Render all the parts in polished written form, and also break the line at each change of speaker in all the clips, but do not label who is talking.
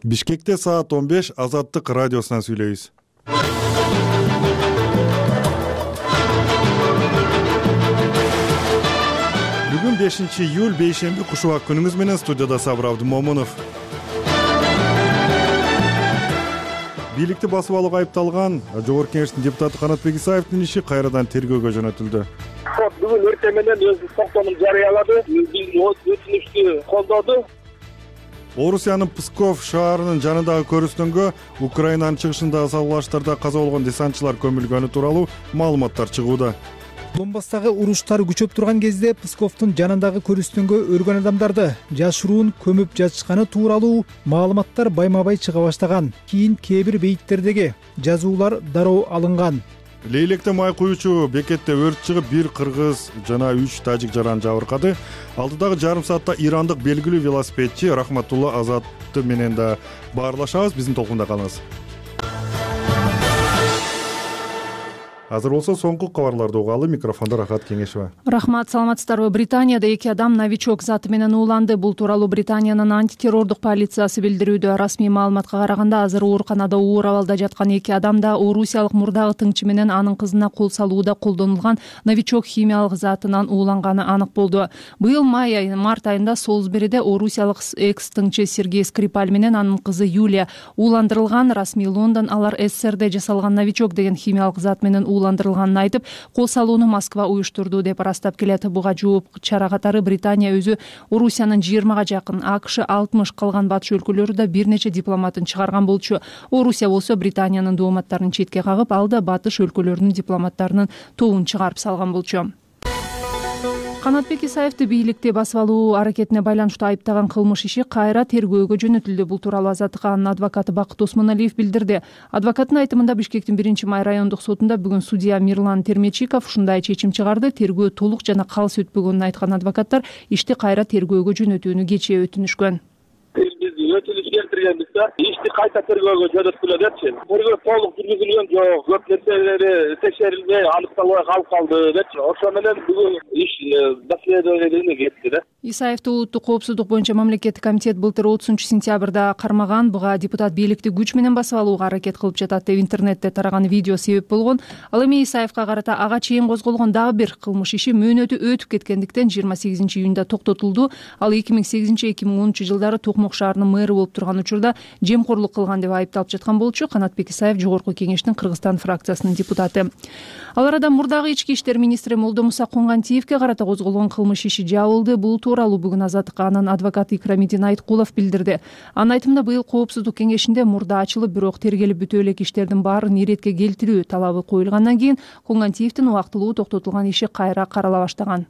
Бишкекте саат 15 Азаттык радиосунан сүйлөйбүз. Бүгүн 5-июль бейшемби кушубак күнүңүз менен студияда Сабыр Абдымомунов. Бийликти басып алууга айыпталган Жогорку Кеңештин депутаты Канатбек Исаевдин иши кайрадан тергөөгө жөнөтүлдү.
Бүгүн эртең менен өз токтомун жарыялады, өтүнүштү колдоду.
Орусиянын Псков шаарынын жанындагы көрүстөнгө Украинанын чыгышындагы салгылаштарда каза болгон десантчылар көмүлгөнү тууралуу маалыматтар чыгууда.
Донбасстагы уруштар күчөп турган кезде Псковдун жанындагы көрүстөнгө өргөн адамдарды жашыруун көмүп жатышканы тууралуу маалыматтар байма-бай чыга баштаган. Кийин кээ бир бейиттердеги жазуулар дароо алынган.
Лейлекте май куючу бекетте өрт чыгып, бир кыргыз жана 3 тажик жаран жабыркады. Алдыдагы жарым саатта ирандык белгилүү велосипедчи Рахматулла Азатты менен да баарлашабыз. Биздин толкунда калыңыз. Азыр болсо соңку кабарларды угалы. Микрофондо Рахат Кеңешева.
Рахмат, саламатсыздарбы? Британияда 2 адам новичок заты менен ууланды. Бул тууралуу Британиянын антитеррордук полициясы билдирүүдө. Расмий маалыматка караганда, азыр ооруканада оор абалда жаткан 2 адамда орусиялык мурдагы тыңчы менен анын кызына кол салууда колдонулган новичок химиялык затынан ууланганы анык болду. Быйыл март айында Солсбериде орусиялык экс-тыңчы Сергей Скрипаль менен анын кызы Юлия ууландырылган. Расмий Лондон алар СССРде жасалган новичок деген химиялык зат менен ууландырылганын айтып, кол салууну Москва уюштурду деп ырастап келет. Буга жооп чара катары Британия өзү Орусиянын 20га жакын, АКШ 60, калган батыш өлкөлөрү да бир нече дипломатын чыгарган болчу. Орусия болсо Британиянын дооматтарын четке кагып, ал да батыш өлкөлөрүнүн дипломаттарынын тобун чыгарып салган болчу. Канатбек Исаевди бийликти басып алуу аракетине байланыштуу айыптаган кылмыш иши кайра тергөөгө жөнөтүлдү. Бул тууралуу Азаттыкка анын адвокаты Бакыт Осмоналиев билдирди. Адвокаттын айтымында Бишкектин 1-май райондук сотунда бүгүн судья Мирлан Термечиков ушундай чечим чыгарды. Тергөө толук жана калыс өтпөгөнүн айткан адвокаттар ишти кайра тергөөгө жөнөтүүнү кечээ өтүнүшкөн.
Өтүнүш келтиргенбиз да, ишти кайта тергөөгө жөнөткүлө депчи. Тергөө толук жүргүзүлгөн жок, көп нерселери текшерилбей, аныкталбай калып калды депчи. Ошо менен бүгүн иш доследованиене кетти да.
Исаевди улуттук коопсуздук боюнча мамлекеттик комитет былтыр 30-сентябрда кармаган. Буга депутат бийликти күч менен басып алууга аракет кылып жатат деп интернетте тараган видео себеп болгон. Ал эми Исаевга карата ага чейин козголгон дагы бир кылмыш иши мөөнөтү өтүп кеткендиктен 28-июнда токтотулду. Ал 2008-2010 жылдары Токмок шаарынын мэрі болуп турган учурда жемкорлук кылган деп айыпталып жаткан болчу. Канатбек Исаев Жогорку Кеңештин Кыргызстан фракциясынын депутаты. Ал арада мурдагы ички иштер министри Молдомуса Коңгантиевке карата козголгон кылмыш иши жабылды. Бул тууралуу бүгүн Азаттыкка анын адвокаты Икрамидин Айткулов билдирди. Анын айтымында, быйыл коопсуздук кеңешинде мурда ачылып, бирок тергелип бүтө элек иштердин баарын иретке келтирүү талабы коюлгандан кийин Коңгантиевдин убактылуу токтотулган иши кайра карала баштаган.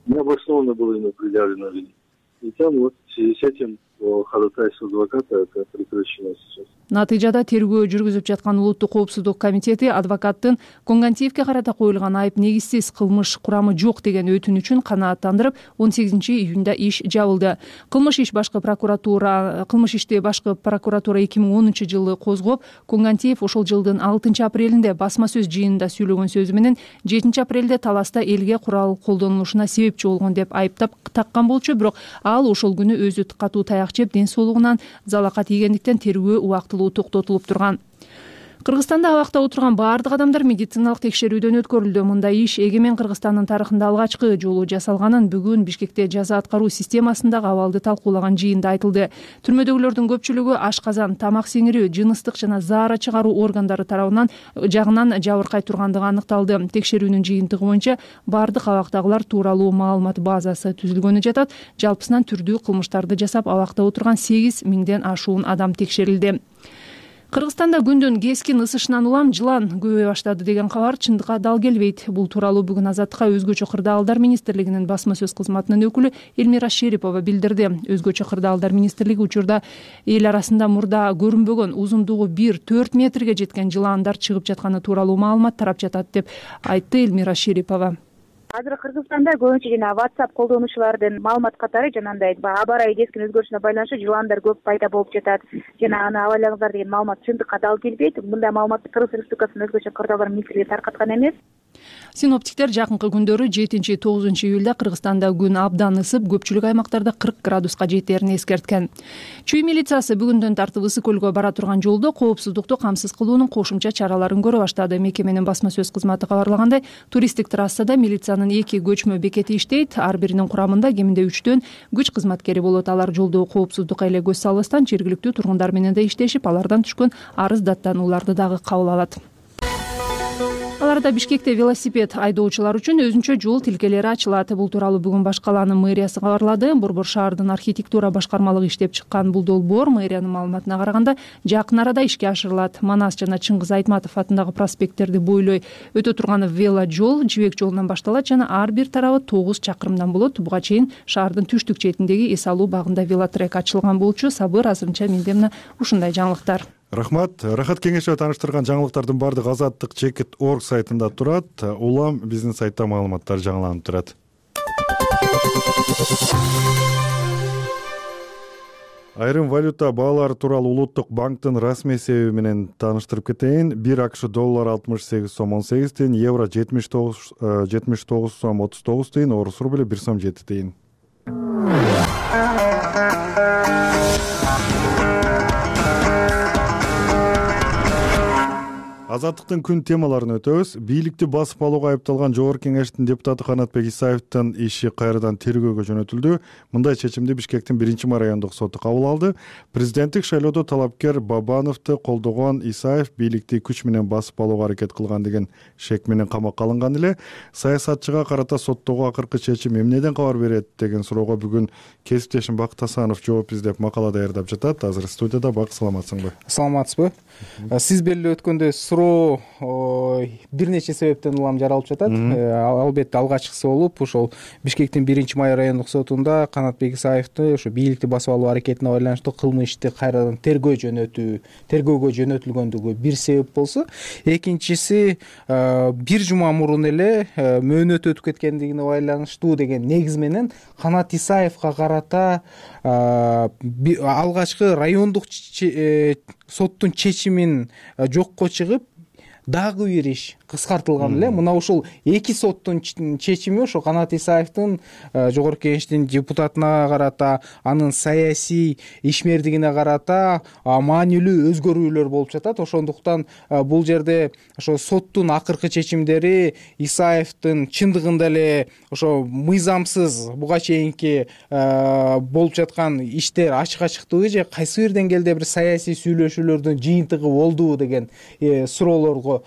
Необоснованно было ему предъявлено обвинение. И там вот в связи с этим по ходатайству адвоката это прекращено сейчас.
Натыйжада тергөө жүргүзүп жаткан улуттук коопсуздук комитети адвокаттын Коңгантиевке карата коюлган айып негизсиз, кылмыш курамы жок деген өтүнүчүн канааттандырып, 18-июнда иш жабылды. Кылмыш ишти башкы прокуратура 2010 жылы козгоп, Коңгантиев ошол жылдын 6 апрелинде басма сөз жыйынында сүйлөгөн сөзү менен 7 апрелде таласта элге курал колдонулушуна себепчи болгон деп айыптап таккан болчу. Бирок ал ошол күнү өзү катуу таяк жеп, ден соолугунан залакат ийгендиктен тергөө убактылуу токтотулуп турган. Кыргызстанда абакта отурган баардык адамдар медициналык текшерүүдөн өткөрүлдү. Мындай иш эгемен Кыргызстандын тарыхында алгачкы жолу жасалганын бүгүн Бишкекте жаза аткаруу системасындагы абалды талкуулаган жыйында айтылды. Түрмөдөгүлөрдүн көпчүлүгү ашказан, тамак сиңирүү, жыныстык жана заара чыгаруу органдары тарабынан жабыркай тургандыгы аныкталды. Текшерүүнүн жыйынтыгы боюнча баардык абактагылар тууралуу маалымат базасы түзүлгөнү жатат. Жалпысынан түрдүү кылмыштарды жасап абакта отурган 8.000ден ашуун адам текшерилди. Кыргызстанда күндүн кескин ысышынан улам жылан көбөй баштады деген кабар чындыкка дал келбейт. Бул тууралуу бүгүн Азаттыкка өзгөчө кырдаалдар министрлигинин басма сөз кызматынын өкүлү Элмира Шерипова билдирди. Өзгөчө кырдаалдар министрлиги учурда эл арасында мурда көрүнбөгөн узундугу 1-4 метрге жеткен жыландар чыгып жатканы тууралуу маалымат тарап жатат деп айтты Элмира Шерипова.
Азыр Кыргызстанда көбүнчө жана WhatsApp колдонуучулардын маалымат катары жанагындай аба ырайы кескин өзгөрүшүнө байланыштуу жыландар көп пайда болуп жатат. Жана аны абайлаңыздар деген маалымат чындыкка дал келбейт. Мындай маалыматты Кыргыз Республикасынын өзгөчө кырдаалдар министрлиги таркаткан эмес.
Синоптиктер жакынкы күндөрү 7-9 июлда Кыргызстанда күн абдан ысып, көпчүлүк аймактарда 40 градуска жетерин эскерткен. Чүй милициясы бүгүндөн тартып Ысык көлгө бара турган жолдо коопсуздукту камсыз кылуунун кошумча чараларын көрө баштады. Мекеменин басма сөз кызматы кабарлагандай, туристтик трассада милициянын 2 көчмө бекети иштейт. Ар биринин курамында кеминде 3төн күч кызматкери болот. Алар жолдогу коопсуздукка эле көз салбастан жергиликтүү тургундар менен да иштешип, алардан түшкөн арыз даттанууларды дагы кабыл алат. Аларда Бишкекте велосипед айдоочулар үчүн өзүнчө жол тилкелери ачылат. Бул тууралуу бүгүн Баш калаанын мэриясы кабарлады. Борбор шаардын архитектура башкармалыгы иштеп чыккан бул долбоор мэриянын маалыматына караганда жакын арада ишке ашырылат. Манас жана Чыңгыз Айтматов атындагы проспекттерди бойлой өтө турган веложол Жибек жолунан башталат жана ар бир тарабы 9 чакырымдан болот. Буга чейин шаардын түштүк четиндеги Эс алуу багында велотрек ачылган болчу. Сабыр азырынча менде мына ушундай жаңылыктар.
Рахмат. Рахат кеңешева тааныштырган жаңылыктардын баардыгы Азаттык Чекит.org сайтында турат. Улам биздин сайтта маалыматтар жаңыланып турат. Айрым валюта баалары тууралуу Улуттук банктын расмий эсеби менен тааныштырып кетейин. 1 АКШ доллар 68 сом 18 тыйын, евро 79 сом 39 тыйын, орус рубли 1 сом 7 тыйын. Азаттыктын күн темаларын өтөбүз. Бийликти басып алууга айыпталган Жогорку Кеңештин депутаты Канатбек Исаевдин иши кайрадан тергөөгө жөнөтүлдү. Мындай чечимди Бишкектин 1-ма райондук соту кабыл алды. Президенттик шайлоодо талапкер Бабановду колдогон Исаев бийликти күч менен басып алууга аракет кылган деген шек менен камакка алынган эле. Саясатчыга карата соттогу акыркы чечим эмнеден кабар берет деген суроого бүгүн кесиптешим Бакыт Асанов жооп издеп макала даярдап жатат. Азыр студияда. Бак, саламатсыңбы?
Саламатсызбы? Сиз белгилеп өткөндөй суроо бир нече себептен улам жаралып жатат. Албетте алгачкысы болуп ошол Бишкектин 1-май райондук сотунда Канатбек Исаевди ошо бийликти басып алуу аракетине байланыштуу кылмыш ишти кайрадан тергөөгө жөнөтүлгөндүгү бир себеп болсо, экинчиси бир жума мурун эле мөөнөт өтүп кеткендигине байланыштуу деген негиз менен Канат Исаевга карата алгачкы райондук соттун чечимин жокко чыгып, дагы бир иш кыскартылган эле. Мына ушул эки соттун чечими ошо Канат Исаевдин Жогорку Кеңештин депутатына карата, анын саясий ишмердигине карата маанилүү өзгөрүүлөр болуп жатат. Ошондуктан бул жерде ошо соттун акыркы чечимдери Исаевдин чындыгында эле ошо мыйзамсыз буга чейинки болуп жаткан иштер ачык-ачыктыгы же кайсы бир деңгээлде бир саясий сүйлөшүүлөрдүн жыйынтыгы болдубу деген суроолорго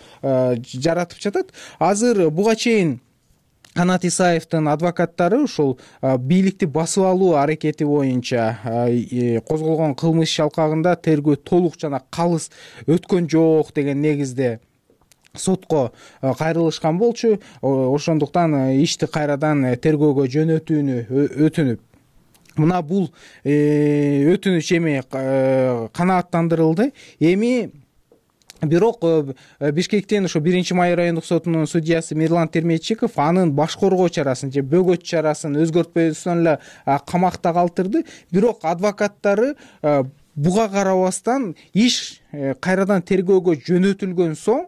жаратып жатат. Азыр буга чейин Канат Исаевдин адвокаттары ушул бийликти басып алуу аракети боюнча козголгон кылмыш иш алкагында тергөө толук жана калыс өткөн жок деген негизде сотко кайрылышкан болчу. Ошондуктан ишти кайрадан тергөөгө жөнөтүүнү өтүнүп, мына бул өтүнүч эми канааттандырылды. Эми бирок Бишкектин ошо 1-май райондук сотунун судьясы Мирлан Терметчиков анын башкоргоо чарасын же бөгөт чарасын өзгөртпөстөн эле камакта калтырды. Бирок адвокаттары буга карабастан иш кайрадан тергөөгө жөнөтүлгөн соң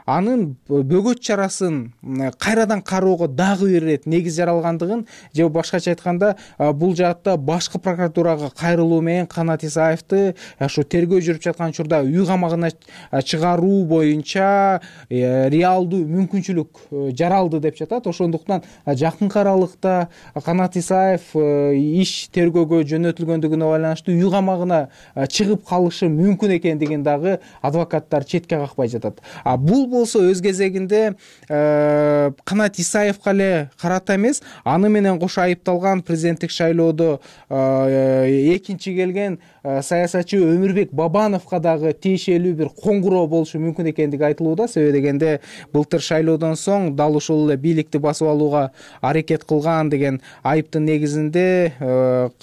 анын бөгөт чарасын кайрадан кароого дагы бир ирет негиз жаралгандыгын, же башкача айтканда бул жаатта башкы прокуратурага кайрылуу менен Канат Исаевди ошо тергөө жүрүп жаткан учурда үй камагына чыгаруу боюнча реалдуу мүмкүнчүлүк жаралды деп жатат. Ошондуктан жакынкы аралыкта Канат Исаев иш тергөөгө жөнөтүлгөндүгүнө байланыштуу үй камагына чыгып калышы мүмкүн экендигин дагы адвокаттар четке какпай жатат. Бул болсо өз кезегинде Канат Исаевга эле карата эмес, аны менен кошо айыпталган президенттик шайлоодо экинчи келген саясатчы Өмүрбек Бабановго дагы тиешелүү бир коңгуроо болушу мүмкүн экендиги айтылууда. Себеби дегенде былтыр шайлоодон соң дал ушул эле бийликти басып алууга аракет кылган деген айыптын негизинде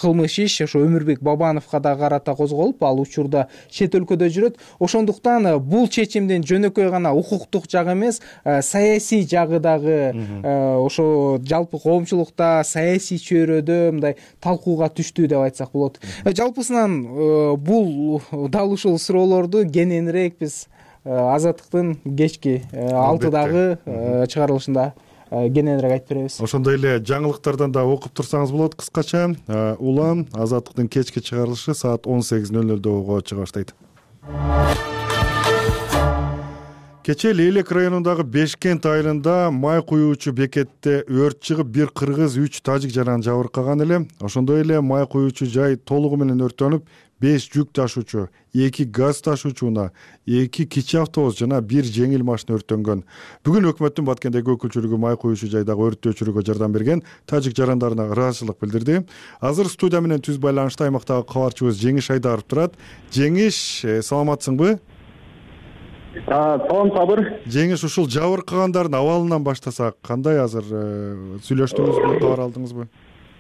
кылмыш иш ошо Өмүрбек Бабановго дагы карата козголуп, ал учурда чет өлкөдө жүрөт. Ошондуктан бул чечимдин жөнөкөй гана укуктук жагы эмес, саясий жагы дагы ошо жалпы коомчулукта саясий чөйрөдө мындай талкууга түштү деп айтсак болот. Жалпысынан бул дал ушул суроолорду кененирээк биз Азаттыктын кечки 6-дагы чыгарылышында кененирээк айтып беребиз.
Ошондой эле жаңылыктардан да окуп турсаңыз болот кыскача. Улам Азаттыктын кечки чыгарылышы саат 18:00 чыга баштайт. Кечээ Лейлек районундагы Бешкент айылында май куюучу бекетте өрт чыгып, бир кыргыз, 3 тажик жаран жабыркаган эле. Ошондой эле май куюучу жай толугу менен өрттөнүп, 5 жүк ташуучу, 2 газ ташуучу унаа, 2 кичи автобус жана 1 жеңил машина өрттөнгөн. Бүгүн өкмөттүн Баткендеги өкүлчүлүгү май куюучу жайдагы өрттү өчүрүүгө жардам берген тажик жарандарына ыраазычылык билдирди. Азыр студия менен түз байланышта аймактагы кабарчыбыз Жеңиш Айдаров турат. Жеңиш, саламатсыңбы?
Салам Сабыр.
Жеңиш, ушул жабыркагандардын абалынан баштасак, кандай азыр сүйлөштүңүзбү, кабар алдыңызбы?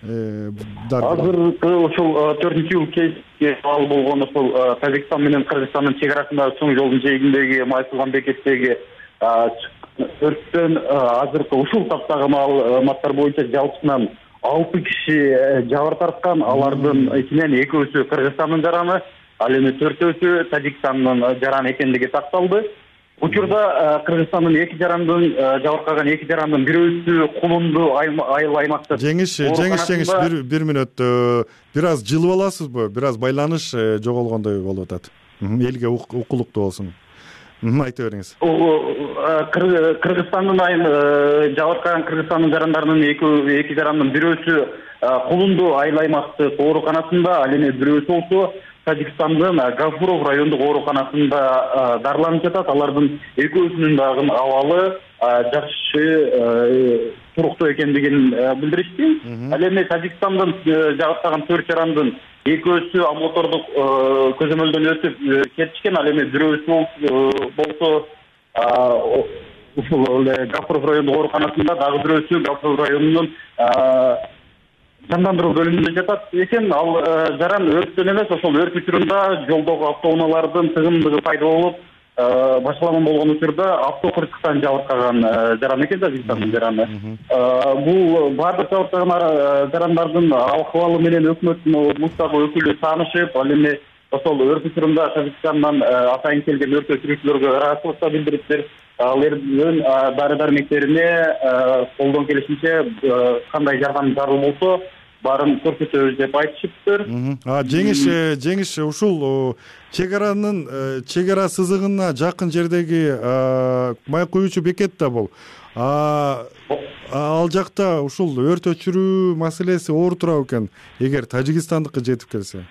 Азыр ушул 4-жыл кечки абал болгон ушул Тажикстан менен Кыргызстандын чек арасындагы чоң жолдун жээгиндеги май куган бекеттеги өрттөн азыркы ушул таптагы маалыматтар боюнча жалпысынан 6 киши жабыр тарткан. Алардын ичинен 2-өсү Кыргызстандын жараны, ал эми 4-өсү Тажикстандын жараны экендиги такталды. Учурда Кыргызстандын 2 жарандын жабыркаган 2 жарандын бирөөсү Кулунду айыл аймакта.
Жеңиш, бир мүнөт. Бир аз жылып аласызбы? Бир аз байланыш жоголгондой болуп атат. Элге укулуктуу болсун. Айта бериңиз.
Кыргызстандын жабыркаган Кыргызстандын жарандарынын 2 жарандын бирөөсү Кулунду айыл аймактык ооруканасында, ал эми бирөөсү болсо Тажикстандын Гафуров райондук ооруканасында дарыланып жатат. Алардын 2-өсүнүн дагы абалы жакшы, туруктуу экендигин билдиришти. Ал эми Тажикстандын жабыркаган 4 жарандын 2-өсү мотордук көзөмөлдөн өтүп кетишкен. Ал эми бирөөсү болсо ушул Гафуров райондук ооруканасында, дагы бирөөсү Гафуров районунун жандандыруу бөлүмүндө жатат экен. Ал жаран өрттөн эмес, ошол өрт учурунда жолдогу автоунаалардын тыгындыгы пайда болуп, башаламан болгон учурда автокырсыктан жабыркаган жаран экен, Тажикстандын жараны. Бул баардык жабыркаган жарандардын акыбалы менен өкмөттүн облустагы өкүлү таанышып, ал эми ошол өрт учурунда Тажикстандан атайын келген өрт өчүрүүчүлөргө ыраазычылык да билдириптир. Алардын дары-дармектерине колдон келишинче кандай жардам зарыл болсо баарын көрсөтөбүз деп айтышыптыр.
Жеңиш, ушул чек ара сызыгына жакын жердеги май куюучу бекет да бул. Ал жакта ушул өрт өчүрүү маселеси оор турабы экен, эгер Тажикстандыкка жетип келсе?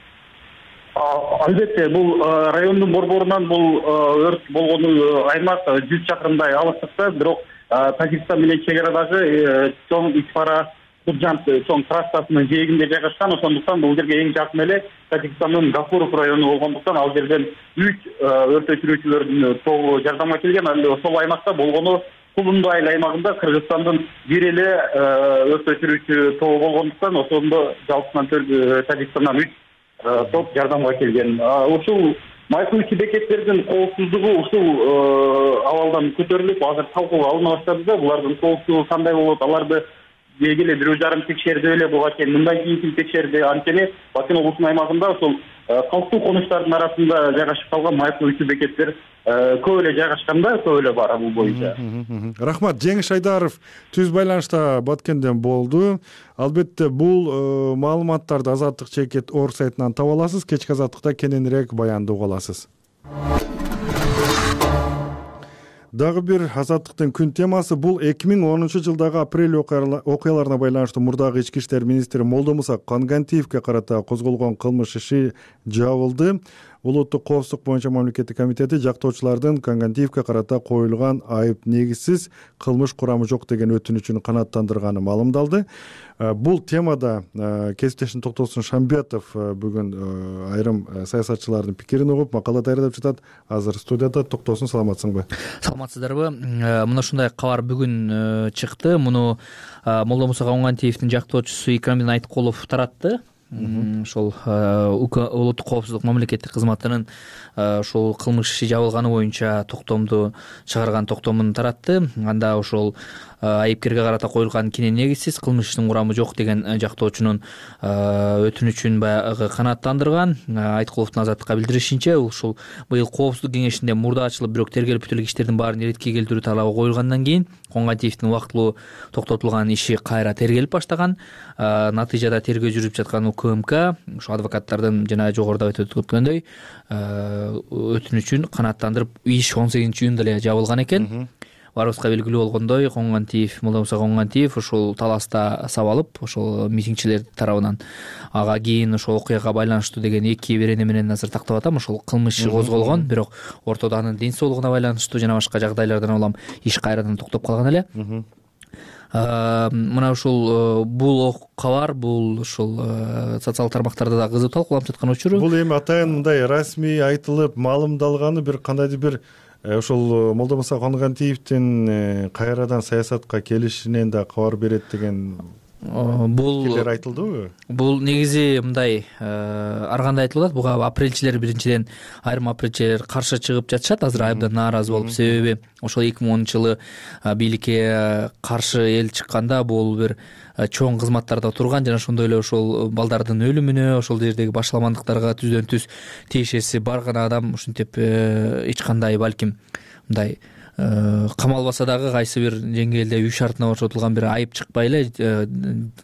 Албетте, бул райондун борборунан бул өрт болгон аймак 100 чакырымдай алыстыкта, бирок Тажикстан менен чек арадагы чоң ичпара Куджант чоң трассасынын жээгинде жайгашкан. Ошондуктан бул жерге эң жакын эле Тажикстандын Гафуров району болгондуктан ал жерден 3 өрт өчүрүүчүлөрдүн тобу жардамга келген. Ал ошол аймакта болгону Кулунду айыл аймагында Кыргызстандын бир эле өрт өчүрүүчү тобу болгондуктан ошондо жалпысынан Тажикстандан 3 топ жардамга келген. Ушул май куюучу бекеттердин коопсуздугу ушул абалдан көтөрүлүп, азыр талкууга алына баштады да, булардын коопсуздугу кандай болот, аларды эле 1,5 текшерди эле, буга чейин мындан кийин текшерди. Анткени Бакын облусунун аймагында ошол калктуу конуштардын арасында жайгашып калган май куюучу бекеттер көп эле жайгашканда, көп эле бар бул боюнча.
Рахмат. Жеңиш Айдаров түз байланышта Баткенден болду. Албетте бул маалыматтарды Азаттык чекит орг сайтынан таба аласыз. Кечки Азаттыкта кененирээк баянды уга аласыз. Дагы бир Азаттыктын күн темасы бул 2010-жылдагы апрель окуяларына байланыштуу мурдагы ички иштер министри Молдомуса Конгантиевге карата козголгон кылмыш иши жабылды. Улуттук коопсуздук боюнча мамлекеттик комитети жактоочулардын Конгантиевге карата коюлган айып негизсиз, кылмыш курамы жок деген өтүнүчүн канааттандырганы маалымдалды. Бул темада кесиптешим Токтосун Шамбетов бүгүн айрым саясатчылардын пикирин угуп, макала даярдап жатат. Азыр студияда. Токтосун, саламатсыңбы?
Саламатсыздарбы? Мына ушундай кабар бүгүн чыкты. Муну Молдомуса Конгантиевдин жактоочусу Икрамдин Айткулов таратты. Ошол улуттук коопсуздук мамлекеттик кызматынын ошол кылмыш иши жабылганы боюнча токтомду чыгарган токтомун таратты. Анда ошол айыпкерге карата коюлган кенен негизсиз, кылмыштын курамы жок деген жактоочунун өтүнүчүн баягы канааттандырган. Айткуловдун Азаттыкка билдиришинче, ушул быйыл Коопсуздук кеңешинде мурда ачылып, бирок тергелип бүтүлгөн иштердин баарын иретке келтирүү талабы коюлгандан кийин Коңгантиевдин убактылуу токтотулган иши кайра тергелип баштаган. Натыйжада тергөө жүрүп жаткан УКМК ушу адвокаттардын жана жогоруда айтып өткөндөй өтүнүчүн канааттандырып, иш 18-июнда эле жабылган экен. Баарыбызга белгилүү болгондой, Молдомуса Коңгантиев ушул таласта сабалып, ошол митингчилер тарабынан ага кийин ошол окуяга байланыштуу деген 2 берене менен азыр тактап атам, ошол кылмыш козголгон, бирок ортодо анын ден соолугуна байланыштуу жана башка жагдайлардан улам иш кайрадан токтоп калган эле. Мына ушул бул кабар, бул ушул социалдык тармактарда да кызып талкууланып жаткан учуру.
Бул эми атайын мындай расмий айтылып, маалымдалганы бир кандайдыр бир ошол Молдомуса Коңгантиевдин кайрадан саясатка келишинен да кабар берет деген бул айтылдыбы?
Бул негизи мындай ар кандай айтылып атат. Буга апрелчилер биринчиден айрым апрелчилер каршы чыгып жатышат, азыр абдан нааразы болуп. Себеби ошол 2010-жылы бийликке каршы эл чыкканда бул бир чоң кызматтарда турган жана ошондой эле ошол балдардын өлүмүнө, ошол жердеги башаламандыктарга түздөн түз тиешеси бар гана адам ушинтип эч кандай балким мындай камалбаса дагы кайсы бир жеңгээлде үй шартына ошотулган бир айып чыкпай эле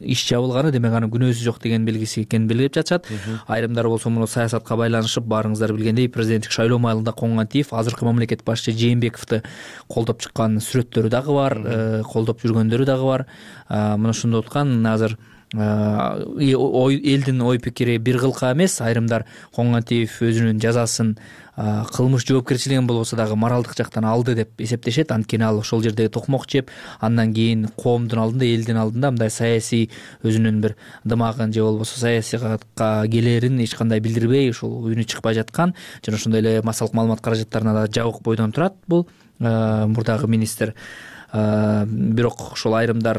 иш жабылганы, демек анын күнөөсү жок деген белгиси экенин белгилеп жатышат. Айрымдары болсо муну саясатка байланышып, баарыңыздар билгендей, президенттик шайлоо маалында Коңгантиев азыркы мамлекет башчы Жээнбековду колдоп чыккан сүрөттөрү дагы бар, колдоп жүргөндөрү дагы бар. Мына ошондо уткан азыр элдин ой пикири бир кылка эмес. Айрымдар Коңгантиев өзүнүн жазасын кылмыш жоопкерчилигин болбосо дагы моралдык жактан алды деп эсептешет. Анткени ал ошол жерде токмок жеп, андан кийин коомдун алдында, элдин алдында мындай саясий өзүнүн бир дымагын же болбосо саясатка келерин эч кандай билдирбей, ошол үнү чыкпай жаткан жана ошондой эле массалык маалымат каражаттарына да жабык бойдон турат бул мурдагы министр. Бирок ошол айрымдар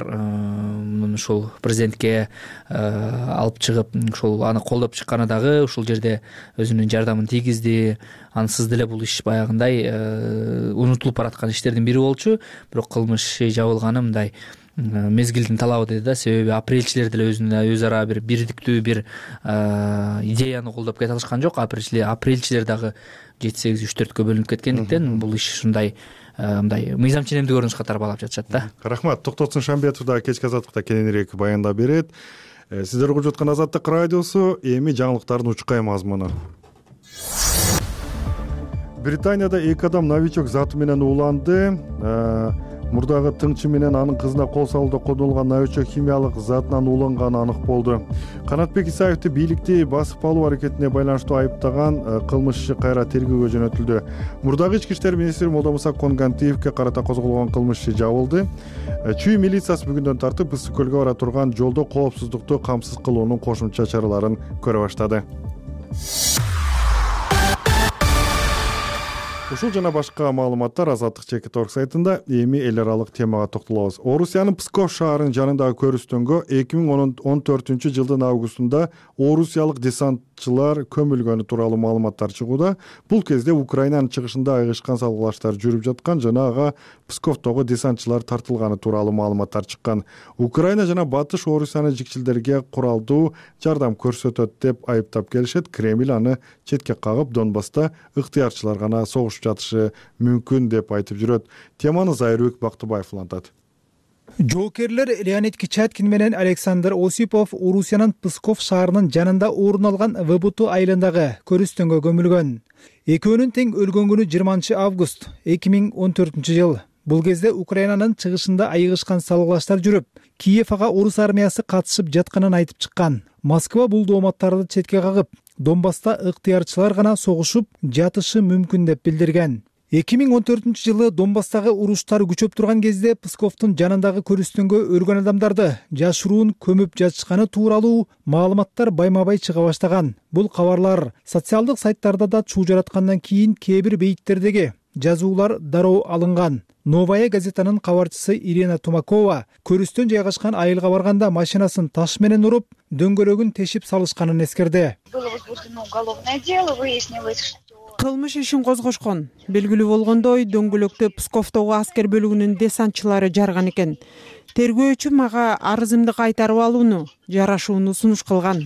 ушул президентке алып чыгып, ушул аны колдоп чыкканы дагы ушул жерде өзүнүн жардамын тийгизди. Ансыз деле бул иш баягындай унутулуп бараткан иштердин бири болчу. Бирок кылмыш жабылганы мындай мезгилдин талабы деди да. Себеби апрелчилер деле өз ара бир бирдиктүү бир идеяны колдоп кете алышкан жок. Апрелчилер дагы 7-8-3-4кө бөлүнүп кеткендиктен бул иш ушундай мындай мыйзам ченемдүү көрүнүшкө тарбалап жатышат да.
Рахмат. Токтотсун Шамбетов да кечки азаттыкта кененирээк баяндап берет. Сиздер угуп жаткан Азаттык радиосу, эми жаңылыктардын учкай мазмуну. Британияда 2 адам новичок заты менен ууланды. Мурдагы тыңчы менен анын кызына кол салууда колдонулган новичок химиялык затынан ууланганы анык болду. Канатбек Исаевди бийликти басып алуу аракетине байланыштуу айыптаган кылмышчы кайра тергөөгө жөнөтүлдү. Мурдагы ички иштер министри Молдомуса Коңгантиевге карата козголгон кылмыш жабылды. Чүй милициясы бүгүндөн тартып Ысык көлгө бара турган жолдо коопсуздукту камсыз кылуунун кошумча чараларын көрө баштады. Ушул жана башка маалыматтар Азаттык Чекит.орг сайтында. Эми эл аралык темага токтолобуз. Орусиянын Псков шаарынын жанындагы көрүстөнгө 2014-жылдын августунда орусиялык десантчылар көмүлгөнү тууралуу маалыматтар чыгууда. Бул кезде Украинанын чыгышында айгышкан салгылаштар жүрүп жаткан жана ага Псковдогу десантчылар тартылганы тууралуу маалыматтар чыккан. Украина жана Батыш Орусияны жикчилдерге куралдуу жардам көрсөтөт деп айыптап келишет. Кремль аны четке кагып, Донбасста ыктыярчылар гана согуш жатышы мүмкүн деп айтып жүрөт. Теманы Зайырбек Бактыбаев улантат.
Жоокерлер Леонид Кичаткин менен Александр Осипов Орусиянын Псков шаарынын жанында орун алган ВБТ айылындагы көрүстөнгө көмүлгөн. Экөөнүн тең өлгөн күнү 20 август 2014-жыл. Бул кезде Украинанын чыгышында айыгышкан салгылаштар жүрүп, Киев ага орус армиясы катышып жатканын айтып чыккан. Москва бул дооматтарды четке кагып, Донбасста ыктыярчылар гана согушуп жатышы мүмкүн деп билдирген. 2014-жылы Донбасстагы уруштар күчөп турган кезде Псковдун жанындагы көрүстөнгө өлгөн адамдарды жашыруун көмүп жатышканы тууралуу маалыматтар байма-бай чыга баштаган. Бул кабарлар социалдык сайттарда да чуу жараткандан кийин кээ бир бейиттердеги жазуулар дароо алынган. Новая газетанын кабарчысы Ирина Тумакова көрүстөн жайгашкан айылга барганда машинасын таш менен уруп, дөңгөлөгүн тешип салышканын эскерди.
Было возбуждено уголовное дело, выяснилось, что кылмыш ишин козгошкон. Белгилүү болгондой, дөңгөлөктү Псковдогу аскер бөлүгүнүн десантчылары жарган экен. Тергөөчү мага арызымды кайтарып алууну, жарашууну сунуш кылган.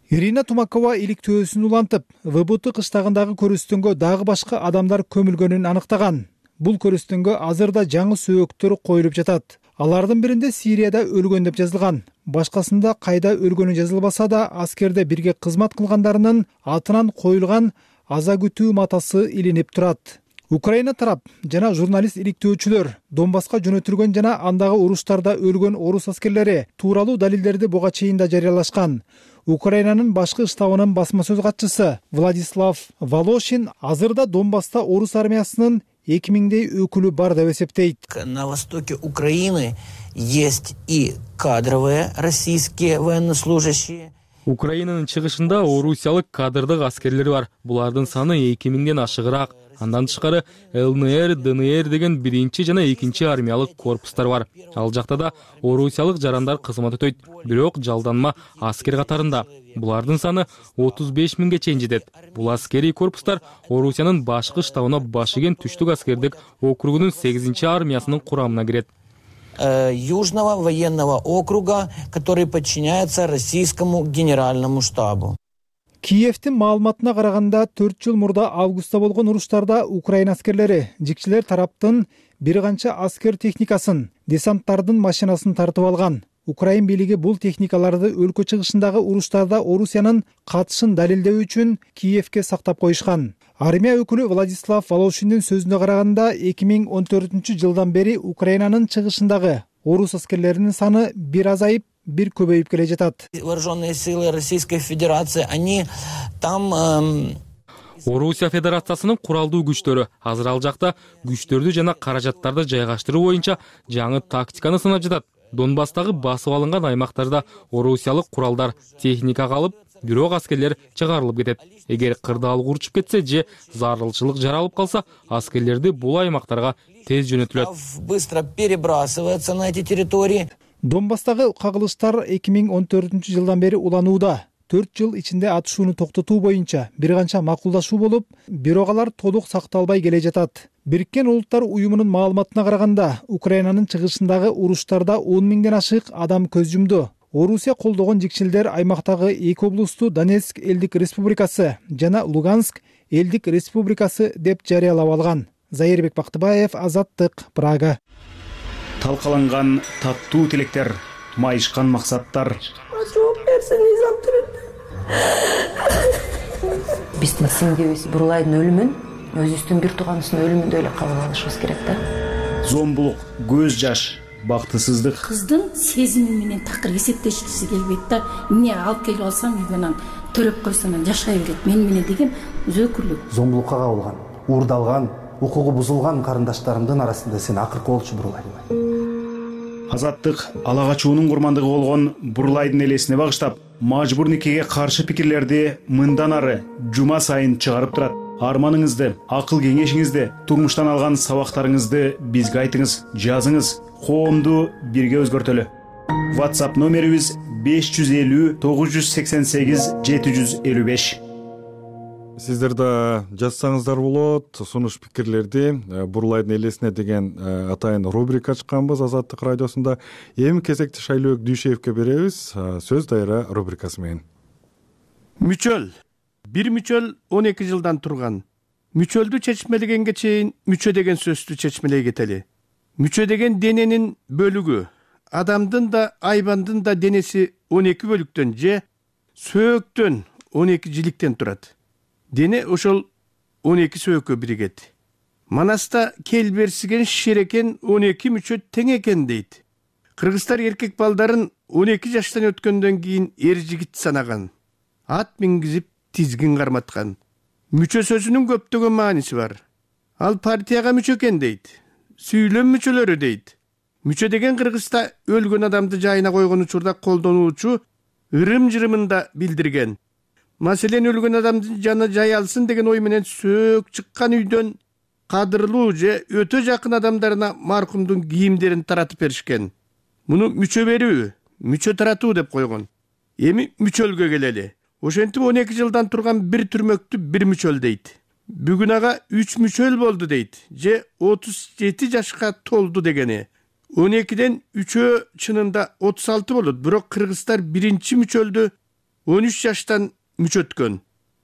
Ирина Тумакова иликтөөсүн улантып, ВБТ кыштагындагы көрүстөнгө дагы башка адамдар көмүлгөнүн аныктаган. Бул көрүстөнгө азырда жаңы сөөктөр коюлуп жатат. Алардын биринде Сирияда өлгөн деп жазылган. Башкасында кайда өлгөнү жазылбаса да, аскерде бирге кызмат кылгандарынын атынан коюлган аза күтүү матасы илинип турат. Украина тарап жана журналист иликтөөчүлөр Донбасска жөнөтүлгөн жана андагы уруштарда өлгөн орус аскерлери тууралуу далилдерди буга чейин да жарыялашкан. Украинанын башкы штабынын басма сөз катчысы Владислав Волошин азырда Донбасста орус армиясынын 2000дей өкүлү бар деп эсептейт.
На востоке Украины есть и кадровые российские военнослужащие.
Украинанын чыгышында орусиялык кадрдык аскерлер бар. Булардын саны 2000ден ашыгыраак. Андан тышкары ЛНР, ДНР деген биринчи жана экинчи армиялык корпустар бар. Ал жакта да орусиялык жарандар кызмат өтөйт, бирок жалданма аскер катарында. Булардын саны 35 миңге чейин жетет. Бул аскерий корпустар Орусиянын башкы штабына баш ийген түштүк аскердик округунун 8-чи армиясынын курамына кирет.
Южного военного округа, который подчиняется российскому генеральному штабу.
Киевдин маалыматына караганда 4 жыл мурда августта болгон уруштарда Украина аскерлери жикчилер тараптын бир канча аскер техникасын, десанттардын машинасын тартып алган. Украин бийлиги бул техникаларды өлкө чыгышындагы уруштарда Орусиянын катышын далилдөө үчүн Киевке сактап коюшкан. Армия өкүлү Владислав Волошиндин сөзүнө караганда 2014 жылдан бери Украинанын чыгышындагы орус аскерлеринин саны бир азайып, бир көбөйүп келе жатат.
Вооруженные силы Российской Федерации, они там
Орусия Федерациясынын куралдуу күчтөрү азыр ал жакта күчтөрдү жана каражаттарды жайгаштыруу боюнча жаңы тактиканы сынап жатат. Донбасстагы басып алынган аймактарда орусиялык куралдар, техника калып, бирок аскерлер чыгарылып кетет. Эгер кырдаал урчуп кетсе же зарылчылык жаралып калса, аскерлерди бул аймактарга тез жөнөтүлөт.
Быстро перебрасывается на эти территории.
Донбасстагы кагылыштар 2014 жылдан бери уланууда. 4 жыл ичинде атышууну токтотуу боюнча бир канча макулдашуу болуп, бирок алар толук сакталбай келе жатат. Бириккен Улуттар уюмунун маалыматына караганда, Украинанын чыгышындагы уруштарда 10 миңден ашык адам көз жумду. Орусия колдогон жикчилдер аймактагы 2 облусту Донецк элдик республикасы жана Луганск элдик республикасы деп жарыялап алган. Зайырбек Бактыбаев, Азаттык, Прага.
Талкаланган таттуу тилектер, майышкан максаттар.
Биздин сиңдибиз Бурлайдын өлүмүн өзүбүздүн бир тууганыбыздын өлүмүндөй эле кабыл алышыбыз керек да.
Зомбулук, көз жаш, бактысыздык.
Кыздын сезими менен такыр эсептешкиси келбейт да. Эмне алып келип алсам үйгө төрөп койсом жашай берет мен менен деген зөөкүрлүк.
Зомбулукка кабылган, уурдалган, укугу бузулган карындаштарымдын арасында сен акыркы болчу Бурлайдын.
Азаттык ала качуунун курмандыгы болгон Бурлайдын элесине багыштап, мажбур никеге каршы пикирлерди мындан ары жума сайын чыгарып турат. Арманыңызды, акыл кеңешиңизди, турмуштан алган сабактарыңызды бизге айтыңыз, жазыңыз, коомду бирге өзгөртөлү. WhatsApp номерибиз 550 988 755.
Сиздер да жазсаңыздар болот, сунуш пикирлерди. Бурлайдын элесине деген атайын рубрика ачканбыз Азаттык радиосунда. Эми кезекти Шайлөөк Дүйшеевке беребиз. Сөз дайра рубрикасы менен.
Мүчөл. Бир мүчөл 12 жылдан турган. Мүчөлдү чечмелегенге чейин мүчө деген сөздү чечмелей кетели. Мүчө деген дененин бөлүгү. Адамдын да, айбандын да денеси 12 бөлүктөн же сөөктөн 12 жиликтен турат. Дене ошол 12 сөөккө биригет. Манаста келберсиген шерекен 12 мүчө тең экен дейт. Кыргыздар эркек балдарын 12 жаштан өткөндөн кийин эр жигит санаган. Ат мингизип тизгин карматкан. Мүчө сөзүнүн көптөгөн мааниси бар. Ал партияга мүчө экен дейт. Сүйлөм мүчөлөрү дейт. Мүчө деген Кыргызда өлгөн адамды жайына койгон учурда колдонуучу ырым-жырымында билдирген. Маселен өлгөн адамдын жаны жай алсын деген ой менен сөөк чыккан үйдөн кадырлуу же өтө жакын адамдарына маркумдун кийимдерин таратып беришкен. Муну мүчө берүү, мүчө таратуу деп койгон. Эми мүчөлгө келели. ошентип 12 жылдан турган бир түрмөктү бир мүчөл дейт. Бүгүн ага 3 мүчөл болду дейт, же 37 жашка толду дегени. 12ден 3 чынында 36 болот, бирок кыргыздар биринчи мүчөлдү 13 жаштан мүчөткөн.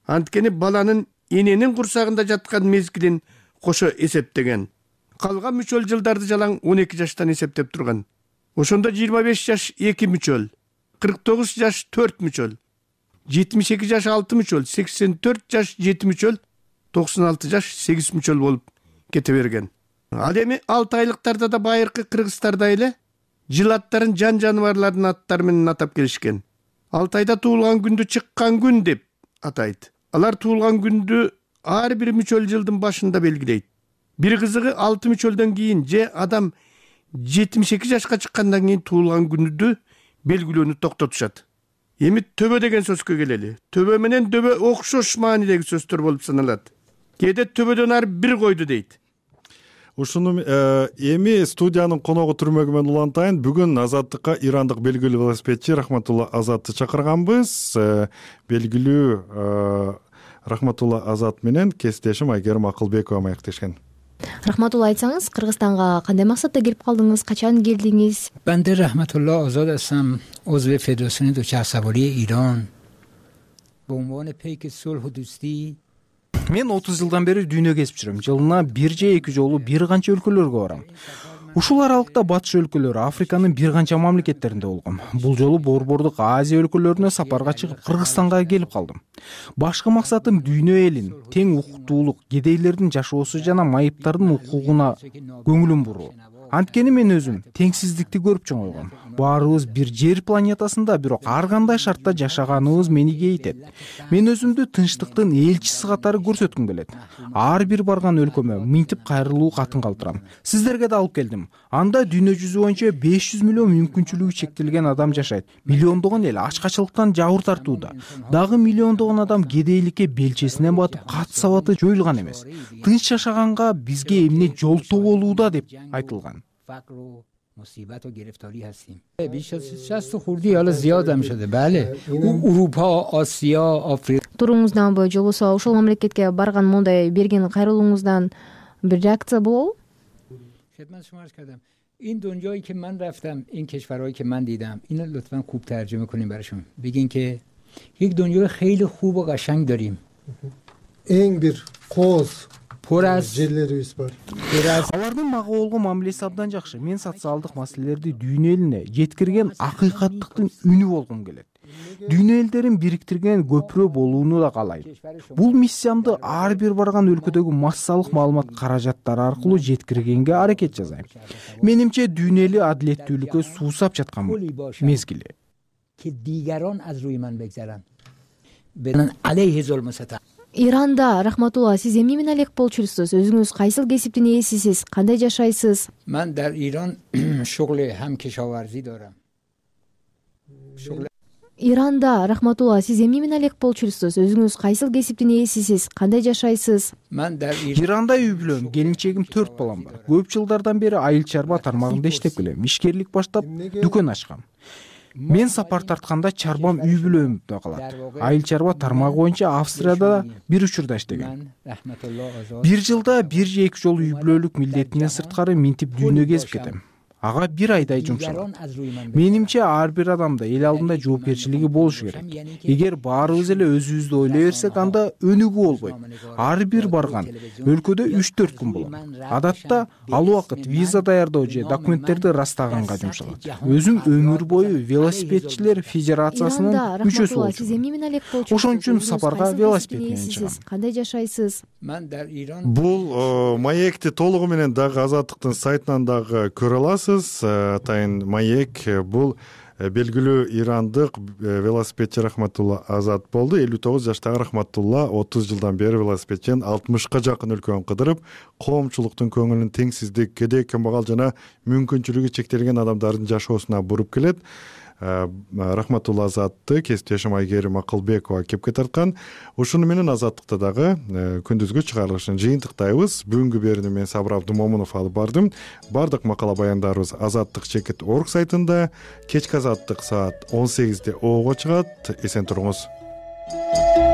Анткени баланын эненин курсагында жаткан мезгилин кошо эсептеген. Калган мүчөл жылдарды жалаң 12 жаштан эсептеп турган. Ошондо 25 жаш 2 мүчөл, 49 жаш 4 мүчөл, 72 жаш 6 мүчөл, 84 жаш 7 мүчөл, 96 жаш 8 мүчөл болуп кете берген. Ал эми 6 айлыктарда да байыркы кыргыздарда эле жыл аттарын жан жаныбарлардын аттары менен атап келишкен. Алтайда туулган күндү чыккан күн деп атайт. Алар туулган күндү ар бир мүчөл жылдын башында белгилейт. Бир кызыгы 6 мүчөлдөн кийин же адам 72 жашка чыккандан кийин туулган күндү белгилөөнү токтотушат. Эми төбө деген сөзгө келели. Төбө менен дөбө окшош маанидеги сөздөр болуп саналат. Кээде төбөдөн ар бир койду дейт.
Ушуну эми студиянын коногу түрмөгү менен улантайын. Бүгүн Азаттыкка ирандык белгилүү велосипедчи Рахматулла Азатты чакырганбыз. Белгилүү Рахматулла Азат менен кесиптешим Айгерим Акылбекова маектешкен.
Рахматулла, айтсаңыз, Кыргызстанга кандай максатта келип калдыңыз, качан келдиңиз?
Бенде Рахматулла Азат асам, عضو فدراسیون دوچرخه‌سواری ایران. به عنوان پیک صلح و دوستی.
Мен 30 жылдан бери дүйнө кезип жүрөм. Жылына бир же эки жолу бир канча өлкөлөргө барам. Ушул аралыкта батыш өлкөлөрү, Африканын бир канча мамлекеттеринде болгом. Бул жолу Борбордук Азия өлкөлөрүнө сапарга чыгып Кыргызстанга келип калдым. Башкы максатым дүйнө элин тең укуктуулук, кедейлердин жашоосу жана майыптардын укугуна көңүлүм буруу. Анткени мен өзүм теңсиздикти көрүп чоңойгом. Баарыбыз бир жер планетасында, бирок ар кандай шартта жашаганыбыз мени кейитет. Мен өзүмдү тынчтыктын элчиси катары көрсөткүм келет. Ар бир барган өлкөмө мынтип кайрылуу катын калтырам. Сиздерге да алып келдим. Анда дүйнө жүзү боюнча 500 миллион мүмкүнчүлүгү чектелген адам жашайт. Миллиондогон эл ачкачылыктан жабыр тартууда. Дагы миллиондогон адам кедейликке белчесинен батып, кат сабаты жоюлган эмес. Тынч жашаганга бизге эмне жолтоо болууда деп айтылган.
مصیبت و گرفتاری هستیم. بیش از 60 خوردی حالا زیاد هم شده. بله. اروپا، آسیا، آفریقا.
Туруңуздан бою жолбосо ошол мамлекетке барган мондай берген кайрылууңуздан бир реакция болобу?
خدمت شما عرض کردم. این دنیایی که من رفتم، این کشورهایی که من دیدم، اینو لطفاً خوب ترجمه کنیم براشون. بگین که یک دنیای خیلی خوب و قشنگ داریم.
En bir koz
жерлерибиз бар.
Алардын мага болгон мамилеси абдан жакшы. Мен социалдык маселелерди дүйнө элине жеткирген акыйкаттыктын үнү болгум келет. Дүйнө элдерин бириктирген көпүрө болууну да каалайм. Бул миссиямды ар бир барган өлкөдөгү массалык маалымат каражаттары аркылуу жеткиргенге аракет жасайм. Менимче дүйнө эли адилеттүүлүккө суусап жаткан мезгили.
Ki digeron az ruy man begzaran. Benin aleyhi zulmü satan.
Иранда, Рахматулла, сиз эмне менен алек болчусуз? Өзүңүз кайсыл кесиптин ээсисиз? Кандай жашайсыз?
من در ایران شغل هم کشاورزی دارم.
Иранда, Рахматулла, сиз эмне менен алек болчусуз? Өзүңүз кайсыл кесиптин ээсисиз? Кандай жашайсыз?
من در
Иранда үй бүлөм, келинчегим 4 балам бар. Көп жылдардан бери айыл чарба тармагында иштеп келем. Ишкерлик баштап, дүкөн ачкам. Мен сапар тартканда чарбам үй бүлөмдө калат. Айыл чарба тармагы боюнча Австрияда бир учурда иштеген. Бир жылда бир же эки жолу үй бүлөлүк милдетинен сырткары минтип дүйнө кезип кетем. Ага бир айдай жумшалат. Менимче ар бир адамда эл алдында жоопкерчилиги болушу керек. Эгер баарыбыз эле өзүбүздү ойлой берсек, анда өнүгүү болбойт. Ар бир барган өлкөдө 3-4 күн болот. Адатта ал убакыт виза даярдоо же документтерди растаганга жумшалат. Өзүм өмүр бою велосипедчилер федерациясынын мүчөсү болчумун. Ошон үчүн сапарга велосипед менен чыгам.
Кандай жашайсыз?
Бул маекти толугу менен дагы Азаттыктын сайтынан дагы көрө аласыз. Атайын маек бул белгилүү ирандык велосипедчи Рахматулла Азат болду. 59 жаштагы Рахматулла 30 жылдан бери велосипедчен 60ка жакын өлкөнү кыдырып, коомчулуктун көңүлүн теңсиздик, кедей кымбагал жана мүмкүнчүлүгү чектелген адамдардын жашоосуна буруп келет. Рахматулла Азатты кесиптешим Айгерим Акылбекова кепке тарткан. Ушуну менен Азаттыкта дагы күндүзгү чыгарылышын жыйынтыктайбыз. Бүгүнкү берүүнү мен Сабыр Абдымомунов алып бардым. Бардык макала баяндарыбыз azattik.org сайтында, кечки Азаттык саат 18:00 чыгат. Эсен туруңуз.
берет.